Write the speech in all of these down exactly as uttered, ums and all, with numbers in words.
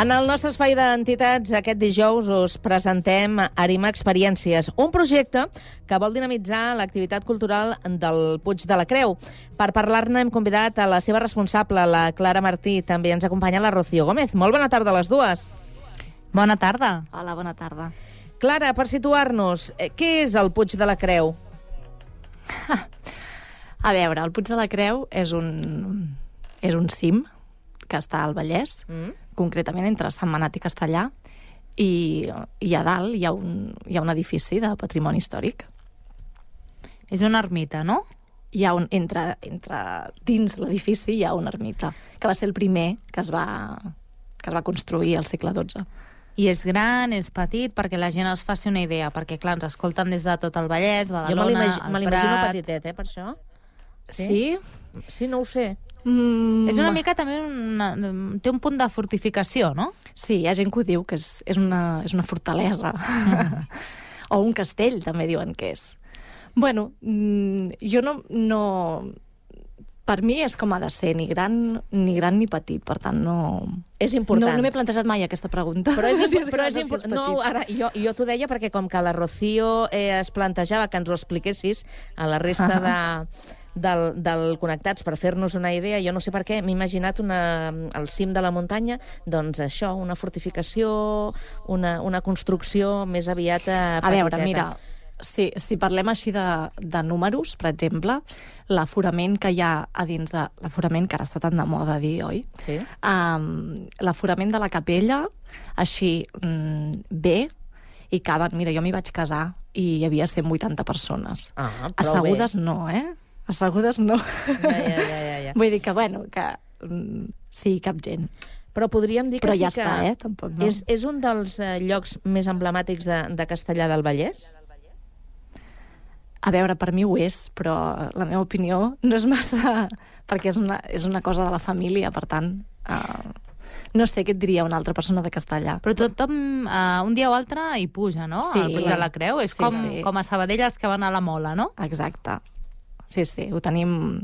En el nostre espai d'entitats, aquest dijous us presentem Arima Experiències, un projecte que vol dinamitzar l'activitat cultural del Puig de la Creu. Per parlar-ne hem convidat a la seva responsable, la Clara Martí. També ens acompanya la Rocío Gómez. Molt bona tarda a les dues. Bona tarda. Hola, bona tarda. Clara, per situar-nos, què és el Puig de la Creu? A veure, el Puig de la Creu és un, és un cim que està al Vallès, mm. concretament entre Sentmenat i Castellar, i, i a dalt hi ha, un, hi ha un edifici de patrimoni històric. És una ermita, no? Hi ha un, entre, entre dins l'edifici hi ha una ermita, que va ser el primer que es va, que es va construir al segle dotze. I és gran, és petit, perquè la gent es faci una idea, perquè, clar, ens escolten des de tot el Vallès, Badalona, el Prat... Jo me l'imagino petitet, eh, per això. Sí? Sí, sí no ho sé. Mm. És una mica també una, té un punt de fortificació, no? Sí, hi ha gent que ho diu, que és, és, una, és una fortalesa. Mm. O un castell, també diuen que és. Bueno, jo no, no... Per mi és com ha de ser, ni gran ni, gran, ni petit, per tant no... És important. No, no m'he plantejat mai aquesta pregunta. Però és, no si és, però és important. No, ara, jo, jo t'ho deia perquè com que la Rocío eh, es plantejava que ens ho expliquessis a la resta de... Del, del Connectats, per fer-nos una idea, jo no sé per què, m'he imaginat una, al cim de la muntanya, doncs això, una fortificació, una, una construcció més aviat petiteta. A veure, mira, si, si parlem així de, de números, per exemple, l'aforament que hi ha a dins de... L'aforament, que ara està tan de moda dir, oi? Sí. Um, l'aforament de la capella, així, um, bé, i caben... Mira, jo m'hi vaig casar i hi havia cent vuitanta persones. Ah, assegudes bé. no, eh? Assegudes no. Ja, ja, ja, ja, ja. Vull dir que, bueno, que mm, sí, cap gent. Però podríem dir que Però sí ja que... està, eh? Tampoc no. És, és un dels eh, llocs més emblemàtics de, de Castellar del Vallès? A veure, per mi ho és, però la meva opinió no és massa... perquè és una, és una cosa de la família, per tant... Uh, no sé què et diria una altra persona de Castellar. Però tothom, uh, un dia o altre, hi puja, no? Sí. Al Puig de la Creu. És sí, com, sí. com a Sabadell els que van a la Mola, no? Exacte. Sí, sí, ho tenim,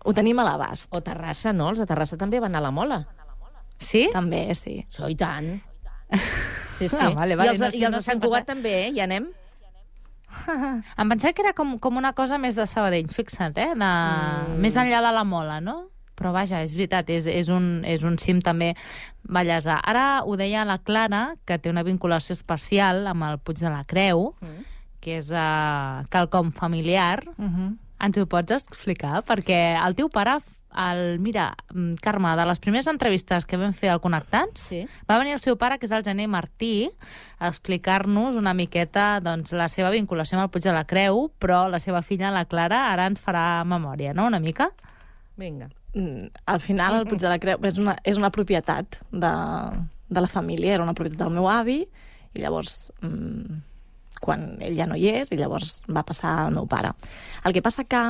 ho tenim a l'abast. O Terrassa, no? Els de Terrassa també van a la Mola. Sí? També, sí. So, i tant. Sí, sí. Ah, vale, vale. I els, No, i sí, els no de Sant sé Cugat pensar. també, eh? Hi anem? Em pensava que era com, com una cosa més de Sabadell, fixa't, eh? De... Mm. Més enllà de la Mola, no? Però vaja, és veritat, és, és, un, és un cim també ballesà. Ara ho deia la Clara, que té una vinculació especial amb el Puig de la Creu, mm. que és uh, quelcom familiar. Uh-huh. Ens ho pots explicar? Perquè el teu pare, el, mira, Carme, de les primeres entrevistes que vam fer al Connectats, sí. va venir el seu pare, que és el Gener Martí, a explicar-nos una miqueta doncs, la seva vinculació amb el Puig de la Creu, però la seva filla, la Clara, ara ens farà memòria, no?, una mica? Vinga. Mm, al final, el Puig de la Creu és una, és una propietat de, de la família, era una propietat del meu avi, i llavors... Mm, quan ell ja no hi és, i llavors va passar al meu pare. El que passa que,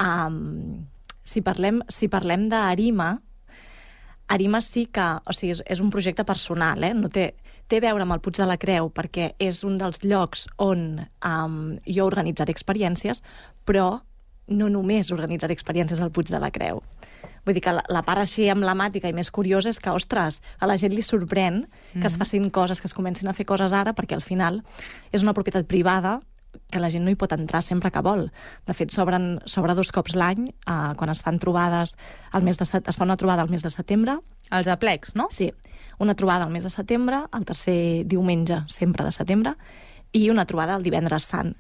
um, si parlem, si parlem d'Arima, Arima sí que, o sigui, és, és un projecte personal, eh? No té, té a veure amb el Puig de la Creu, perquè és un dels llocs on um, jo organitzaré experiències, però no només organitzaré experiències al Puig de la Creu. Vull dir que la, la part així emblemàtica i més curiosa és que, ostres, a la gent li sorprèn que mm. es facin coses, que es comencin a fer coses ara, perquè al final és una propietat privada que la gent no hi pot entrar sempre que vol. De fet, s'obren s'obre dos cops l'any, eh, quan es fan trobades, al mes de set, es fa una trobada al mes de setembre. Els aplecs, no? Sí, una trobada al mes de setembre, el tercer diumenge sempre de setembre, i una trobada el divendres sant,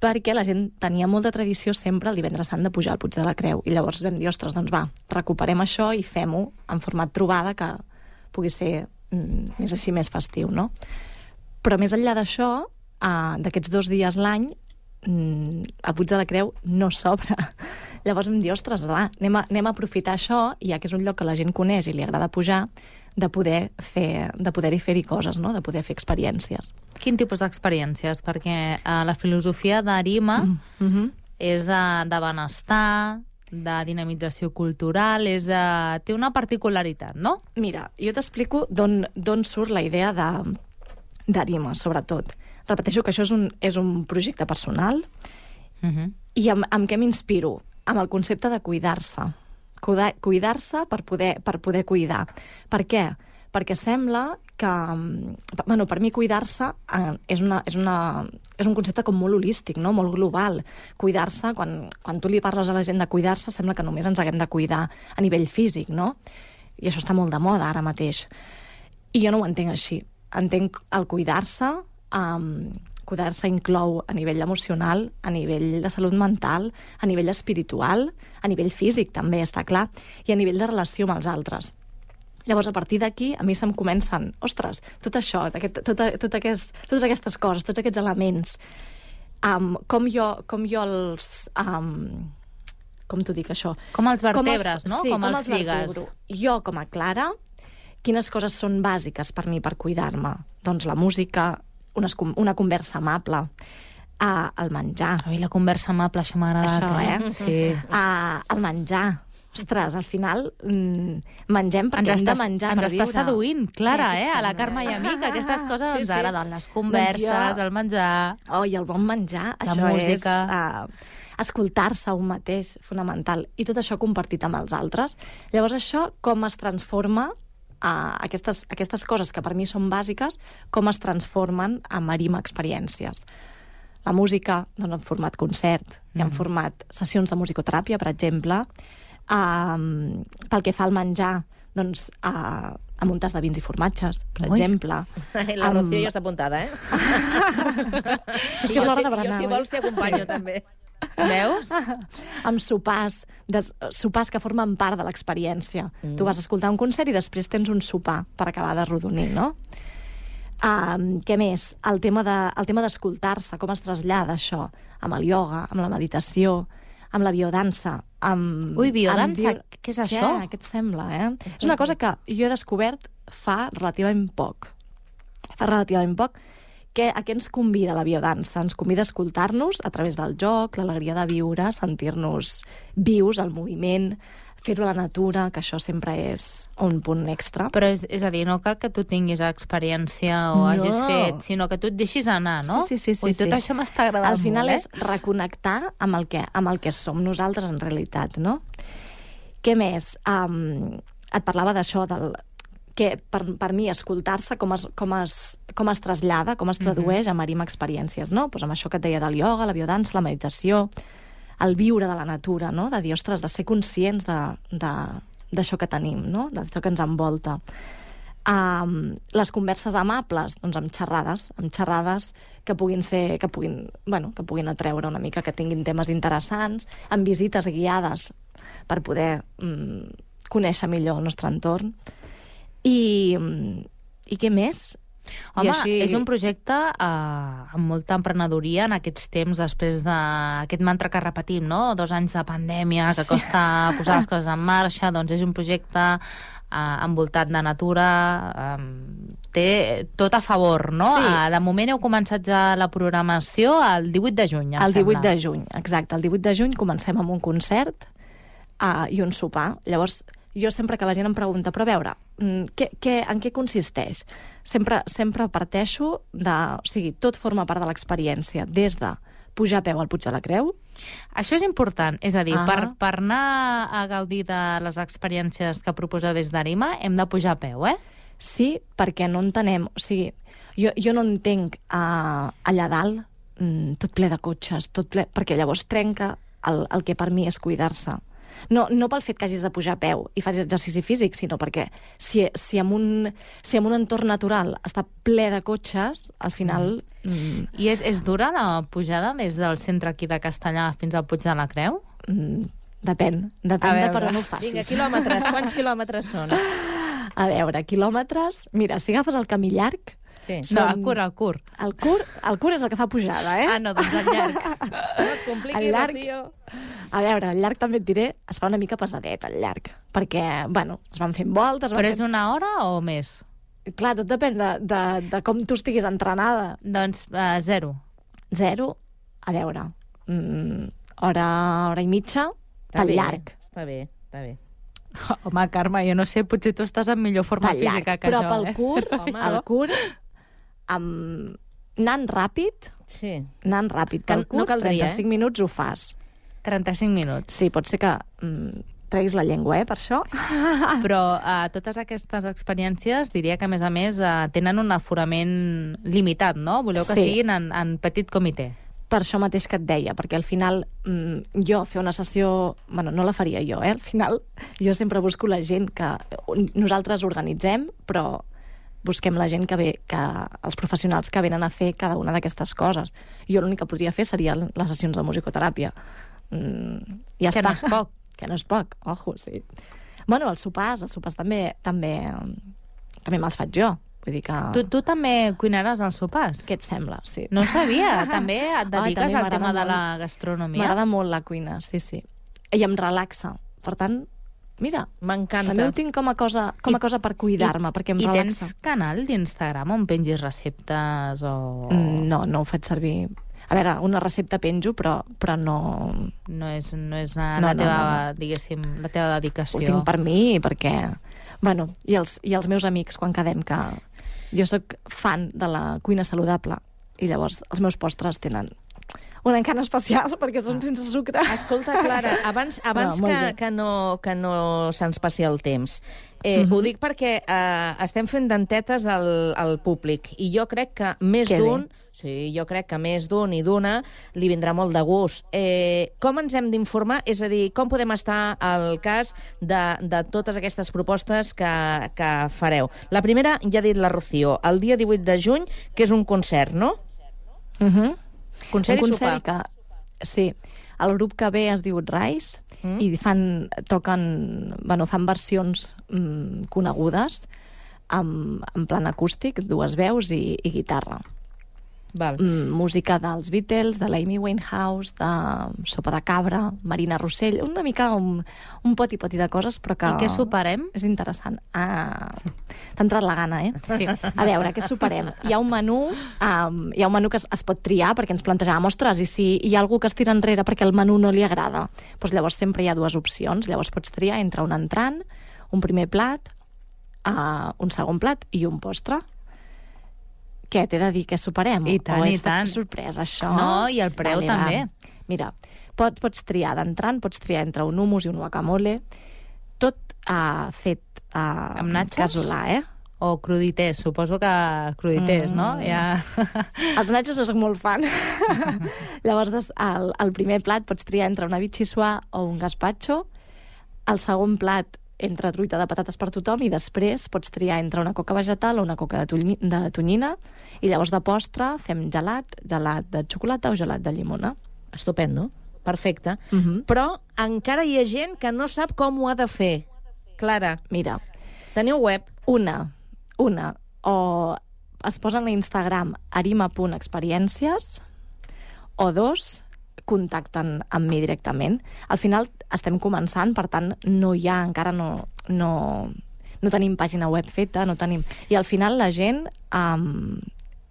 perquè la gent tenia molta tradició sempre el divendres sant de pujar al Puig de la Creu. I llavors vam dir, ostres, doncs va, recuperem això i fem-ho en format trobada, que pugui ser mm, més així, més festiu, no? Però més enllà d'això, eh, d'aquests dos dies l'any, mm, el Puig de la Creu no s'obre. Llavors vam dir, ostres, va, anem a, anem a aprofitar això, i ja que és un lloc que la gent coneix i li agrada pujar, de poder fer, de poder-hi fer-hi coses, no? De poder fer experiències. Quin tipus d'experiències? Perquè uh, la filosofia d'Arima mm -hmm. és uh, de benestar, de dinamització cultural, és, uh, té una particularitat, no? Mira, jo t'explico d'on surt la idea de, d'Arima, sobretot. Repeteixo que això és un, és un projecte personal, mm -hmm. i amb, amb què m'inspiro? Amb el concepte de cuidar-se. Cuidar-se per poder, per poder cuidar. Per què? perquè sembla que... Bueno, per mi cuidar-se eh, és, una, és, una, és un concepte com molt holístic, no? Molt global. Cuidar-se, quan, quan tu li parles a la gent de cuidar-se, sembla que només ens haguem de cuidar a nivell físic, no? I això està molt de moda ara mateix. I jo no ho entenc així. Entenc el cuidar-se... Um, cuidar-se inclou a nivell emocional, a nivell de salut mental, a nivell espiritual, a nivell físic també, està clar, i a nivell de relació amb els altres. Llavors, a partir d'aquí, a mi se'm comencen, ostres, tot això, aquest, tot, tot aquest, totes aquestes coses, tots aquests elements, um, com, jo, com jo els... Um, com t'ho dic, això? Com els vertebres, com els, no? Sí, com, com els, els lligues. Vertebro. Jo, com a Clara, quines coses són bàsiques per mi per cuidar-me? Doncs la música, una, una conversa amable, uh, el menjar. Ai, la conversa amable, això m'ha agradat. Això, eh? eh? Sí. Uh, el menjar. Ostres, al final mm, mengem perquè ens hem de menjar per viure. Ens està seduint, Clara, eh? A la Carme i a mi, que aquestes coses sí, ens sí. agraden. Les converses, doncs jo... el menjar... Oh, i el bon menjar, la això música. és... Uh, escoltar-se un mateix, fonamental. I tot això compartit amb els altres. Llavors, això com es transforma... Uh, aquestes, aquestes coses que per mi són bàsiques, com es transformen en Marim experiències. La música, doncs, en format concert, mm. i en format sessions de musicoteràpia, per exemple. Uh, pel que fa al menjar, doncs, uh, amb un tas de vins i formatges, per Ui. exemple. La Rocío um... ja està apuntada, eh? És que és l'hora de berenar. Jo, si vols, t'hi acompanyo, també. Veus? Amb sopars, des, sopars que formen part de l'experiència. Mm. Tu vas escoltar un concert i després tens un sopar per acabar de rodonir, no? Um, què més? El tema de, el tema d'escoltar-se, com es trasllada això? Amb el ioga, amb la meditació, amb la biodansa. Amb, Ui, biodansa? Amb bio... Què és això? Què? Què et sembla, eh? Mm. És una cosa que jo he descobert fa relativament poc. Fa relativament poc. Que, a què ens convida la biodansa? Ens convida a escoltar-nos a través del joc, l'alegria de viure, sentir-nos vius, el moviment, fer-ho a la natura, que això sempre és un punt extra. Però és, és a dir, no cal que tu tinguis experiència o no. hagis fet, sinó que tu et deixis anar, no? Sí, sí, sí. Ui, sí, tot sí. això m'està agradant molt, Al final molt, eh? és reconnectar amb el, que, amb el que som nosaltres en realitat, no? Què més? Um, et parlava d'això, del... que per, per mi escoltar-se com es, com, es, com es trasllada, com es tradueix a Marim experiències, no? Pues amb això que et deia del ioga, la biodansa, la meditació, el viure de la natura, no? De dir, ostres, de ser conscients d'això que tenim, no? D'això que ens envolta. Um, les converses amables, doncs amb xerrades, amb xerrades que puguin ser, que puguin, bueno, que puguin atreure una mica, que tinguin temes interessants, amb visites guiades per poder um, conèixer millor el nostre entorn. I, i què més? Home, I així... és un projecte eh, amb molta emprenedoria en aquests temps, després d'aquest mantra que repetim, no? Dos anys de pandèmia, que costa sí. posar les coses en marxa, doncs és un projecte eh, envoltat de natura, eh, té tot a favor, no? Sí. Eh, de moment heu començat ja la programació el divuit de juny, em El divuit sembla. de juny, exacte. El divuit de juny comencem amb un concert uh, i un sopar. Llavors, jo sempre que la gent em pregunta, però a veure, què, què, en què consisteix? Sempre, sempre parteixo de... O sigui, tot forma part de l'experiència, des de pujar a peu al Puig de la Creu. Això és important, és a dir, Ah. per, per anar a gaudir de les experiències que proposeu des d'Arima, hem de pujar a peu, eh? Sí, perquè no entenem... O sigui, jo, jo no entenc uh, allà dalt mm, tot ple de cotxes, tot ple... perquè llavors trenca el, el que per mi és cuidar-se. No, no pel fet que hagis de pujar a peu i facis exercici físic, sinó perquè si, si, en un, si en un entorn natural està ple de cotxes, al final... Mm. I és, és dura la pujada des del centre aquí de Castellà fins al Puig de la Creu? Mm, depèn, depèn de per on ho facis. Vinga, quilòmetres, quants quilòmetres són? A veure, quilòmetres... Mira, si agafes el camí llarg... Sí. No, el curt, el curt. El curt, el curt és el que fa pujada, eh? Ah, no, doncs el llarg. No et compliquis, El llarg- Rocío. A veure, el llarg també et diré, es fa una mica pesadet, el llarg, perquè, bueno, es van fent voltes... es van Però és fent... una hora o més? Clar, tot depèn de, de, de com tu estiguis entrenada. Doncs uh, zero. Zero, a veure, mm, hora, hora i mitja, Està pel bé, llarg. Està bé, està bé. Home, Carme, jo no sé, potser tu estàs en millor forma Pel llarg, física que però jo, pel eh? curt, Home. el curt, amb... anant ràpid, Sí. anant ràpid, Que pel no curt, caldria, trenta-cinc minuts ho fas. trenta-cinc minuts. Sí, pot ser que mm, treguis la llengua, eh, per això. Però uh, totes aquestes experiències, diria que, a més a més, uh, tenen un aforament limitat, no? Voleu que Sí. siguin en, en petit comitè. Per això mateix que et deia, perquè al final mm, jo fer una sessió... Bueno, no la faria jo, eh? Al final jo sempre busco la gent que... Nosaltres organitzem, però busquem la gent que ve, que, els professionals que venen a fer cada una d'aquestes coses. Jo l'únic que podria fer serien les sessions de musicoteràpia. Mm, ja Que està. no és poc. Que no és poc, ojo, sí. Bueno, els sopars, els sopars també també, també me'ls faig jo. Vull dir que... Tu, tu també cuinaràs als sopars? Què et sembla? Sí. No ho sabia. També et dediques també al m'agrada tema de molt. la gastronomia? M'agrada molt la cuina, sí, sí. I em relaxa. Per tant, mira, M'encanta. també ho tinc com a cosa, com a I- cosa per cuidar-me, perquè em I relaxa. tens canal d'Instagram on pengis receptes o... Mm, No, no ho faig servir. A veure, una recepta penjo, però, però no... No és, no és la, No, la no, teva, no, diguéssim, la teva Ho dedicació. tinc per mi, perquè... Bueno, i els, i els meus amics, quan quedem, que jo sóc fan de la cuina saludable, i llavors els meus postres tenen un encant especial, perquè són sense sucre. Escolta, Clara, abans, abans No, molt que, bé. que no, que no se'ns passi el temps, eh, Mhm. ho dic perquè eh, estem fent dentetes al, al públic, i jo crec que més Que d'un, bé. sí, jo crec que més d'un i d'una li vindrà molt de gust. Eh, com ens hem d'informar? És a dir, com podem estar al cas de, de totes aquestes propostes que, que fareu? La primera, ja ha dit la Rocío, el dia divuit de juny, que és un concert, no? Uh -huh. Concert un i concert sopar. que, sí, el grup que ve es diu Rice Mm. i fan, toquen, bueno, fan versions mm, conegudes amb, en plan acústic, dues veus i, i guitarra. Val. Mm, música dels Beatles, de l'Amy Winehouse, de Sopa de Cabra, Marina Rossell, una mica un, un poti-poti de coses, però que... I què soparem? És interessant. Ah, t'ha entrat la gana, eh? Sí. A veure, què soparem? Hi ha un menú, um, hi ha un menú que es, es pot triar, perquè ens plantejàvem, ostres, i si hi ha algú que es tira enrere perquè el menú no li agrada? Doncs llavors sempre hi ha dues opcions. Llavors pots triar entre un entrant, un primer plat, uh, un segon plat i un postre. Què, t'he de dir que soparem? I tant, o és i tant. sorpresa, això? No, i el preu també. Va. Mira, pot, pots triar d'entrant, pots triar entre un hummus i un guacamole, tot uh, fet uh, Amb nachos? casolà, eh? O crudités, suposo que crudités, Mm. no? Ja... Els nachos no soc molt fan. Llavors, des, el, el primer plat pots triar entre una bitxissuà o un gazpacho, el segon plat entre truita de patates per tothom, i després pots triar entre una coca vegetal o una coca de, tonyi, de tonyina, i llavors de postre fem gelat, gelat de xocolata o gelat de llimona. Estupendo. Perfecte. Uh -huh. Però encara hi ha gent que no sap com ho ha de fer. Clara, Mira, teniu web? una, una, o es posen a Instagram arima.experiències, o dos, contacten amb mi directament. Al final estem començant, per tant, no hi ha, encara no, no, no tenim pàgina web feta, no tenim... I al final la gent... Um,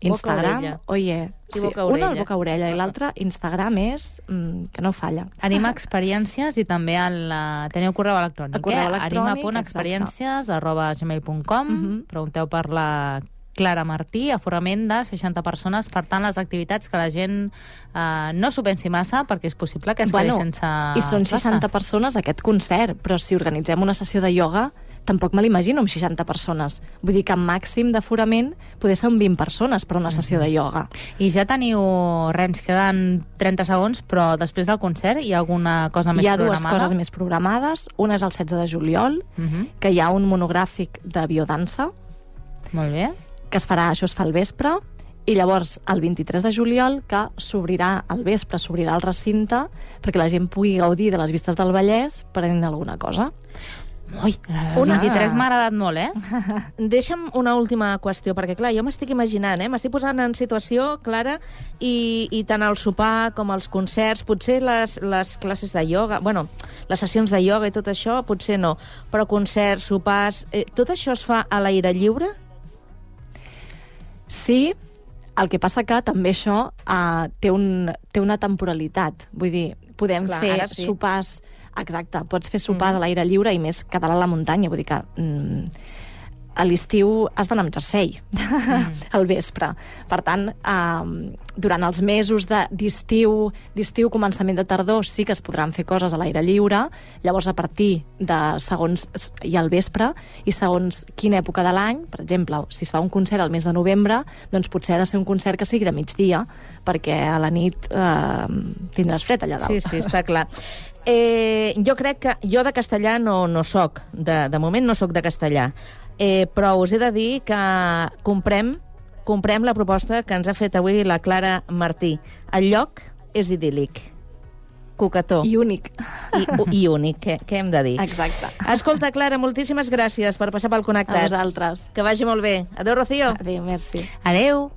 Instagram, Boca-orella. oye, I sí, boca-orella. una al boca-orella i l'altra Instagram és mm, que no falla. Anima Experiències i també el, uh, teniu correu electrònic, El correu eh? electrònic, arima.experiències arroba gmail punt com. Mhm. Pregunteu per la Clara Martí, aforament de seixanta persones. Per tant, les activitats que la gent uh, no s'ho pensi massa, perquè és possible que es quedi sense i són plaça. seixanta persones aquest concert, però si organitzem una sessió de ioga tampoc me l'imagino amb seixanta persones. Vull dir que amb màxim d'aforament poder ser un vint persones per una sessió de ioga. I ja teniu, res, ens queden trenta segons, però després del concert hi ha alguna cosa més Hi ha dues programada? coses més programades. Una és el setze de juliol, Mhm. que hi ha un monogràfic de biodansa, Molt bé. que es farà, això es fa al vespre, i llavors el vint-i-tres de juliol, que s'obrirà al vespre, s'obrirà el recinte perquè la gent pugui gaudir de les vistes del Vallès prenent alguna cosa. Ui, el Una- vint-i-tres m'ha agradat molt, eh? Deixa'm una última qüestió, perquè, clar, jo m'estic imaginant, eh? m'estic posant en situació, Clara, i, i tant el sopar com els concerts, potser les, les classes de ioga, bueno, les sessions de ioga i tot això, potser no, però concerts, sopars, eh, tot això es fa a l'aire lliure? Sí, el que passa que també això uh, té, un, té una temporalitat. Vull dir, podem Clar, fer ara sí. sopars... Exacte, pots fer sopar Mm. de l'aire lliure i més que dalt a la muntanya. Vull dir que mm, a l'estiu has d'anar amb jersei mm. al vespre. Per tant, eh, durant els mesos d'estiu, d'estiu, començament de tardor, sí que es podran fer coses a l'aire lliure, llavors a partir de segons i al vespre, i segons quina època de l'any, per exemple, si es fa un concert al mes de novembre, doncs potser ha de ser un concert que sigui de migdia, perquè a la nit eh, tindràs fred allà dalt. Sí, sí, està clar. Eh, jo crec que jo de castellà no, no soc, de, de moment no soc de castellà, eh, però us he de dir que comprem, comprem la proposta que ens ha fet avui la Clara Martí. El lloc és idíl·lic, coquetó. I únic. I, i únic, què, què hem de dir? Exacte. Escolta, Clara, moltíssimes gràcies per passar pel Connectats. A vosaltres. Que vagi molt bé. Adéu, Rocío. Adéu, merci. Adéu.